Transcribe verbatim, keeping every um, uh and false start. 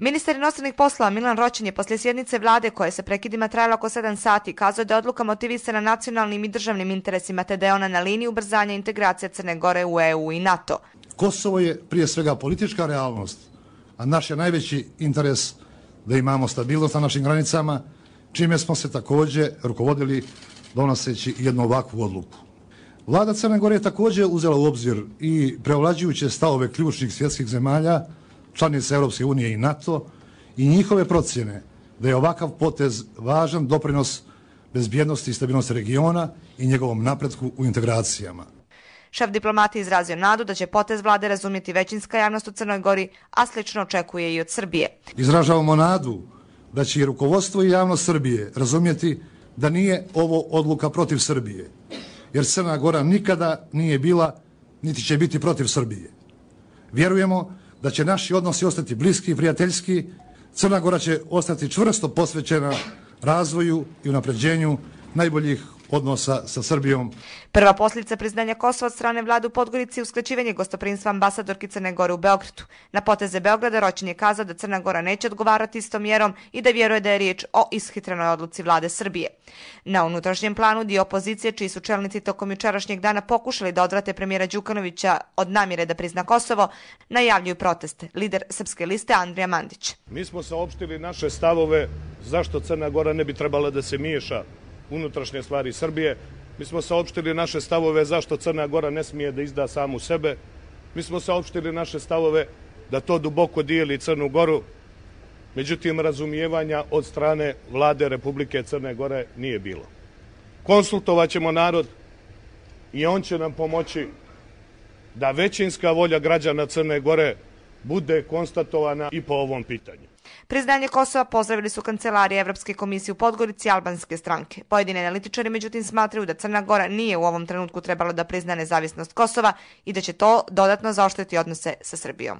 Ministar inostranih poslova Milan Roćen je poslije sjednice vlade koja se prekidima trajala oko sedam sati kazao da je odluka motivisana nacionalnim i državnim interesima te da je ona na liniji ubrzanja integracije Crne Gore u E U i NATO. Kosovo je prije svega politička realnost, a naš je najveći interes da imamo stabilnost na našim granicama, čime smo se također rukovodili donoseći jednu ovakvu odluku. Vlada Crne Gore je također uzela u obzir i preovlađujuće stavove ključnih svjetskih zemalja, članica Europske unije i NATO, i njihove procjene da je ovakav potez važan doprinos bezbjednosti i stabilnosti regiona i njegovom napretku u integracijama. Šef diplomati izrazio nadu da će potez vlade razumjeti većinska javnost u Crnoj Gori, a slično očekuje i od Srbije. Izražavamo nadu da će i rukovodstvo i javnost Srbije razumjeti da nije ovo odluka protiv Srbije, jer Crna Gora nikada nije bila niti će biti protiv Srbije. Vjerujemo da će naši odnosi ostati bliski i prijateljski. Crna Gora će ostati čvrsto posvećena razvoju i unapređenju najboljih odnosa sa Srbijom. Prva posljedica priznanja Kosova od strane vlade u Podgorici je uskraćivanje gostoprinstva ambasadorki Crne Gore u Beogradu. Na poteze Beograda Roćen je kazao da Crna Gora neće odgovarati istom mjerom i da vjeruje da je riječ o ishitrenoj odluci vlade Srbije. Na unutrašnjem planu dio opozicije, čiji su čelnici tokom jučerašnjeg dana pokušali da odvrate premijera Đukanovića od namjere da prizna Kosovo, najavljuju proteste. Lider Srpske liste Andrija Mandić. Mi smo saopštili naše stavove zašto Crna Gora ne bi trebala da se miješa unutrašnje stvari Srbije. Mi smo saopštili naše stavove zašto Crna Gora ne smije da izda samu sebe. Mi smo saopštili naše stavove da to duboko dijeli Crnu Goru. Međutim, razumijevanja od strane vlade Republike Crne Gore nije bilo. Konsultovat ćemo narod i on će nam pomoći da većinska volja građana Crne Gore bude konstatovana i po ovom pitanju. Priznanje Kosova pozdravili su kancelarije Evropske komisije u Podgorici i albanske stranke. Pojedini analitičari međutim smatraju da Crna Gora nije u ovom trenutku trebala da prizna nezavisnost Kosova i da će to dodatno zaoštriti odnose sa Srbijom.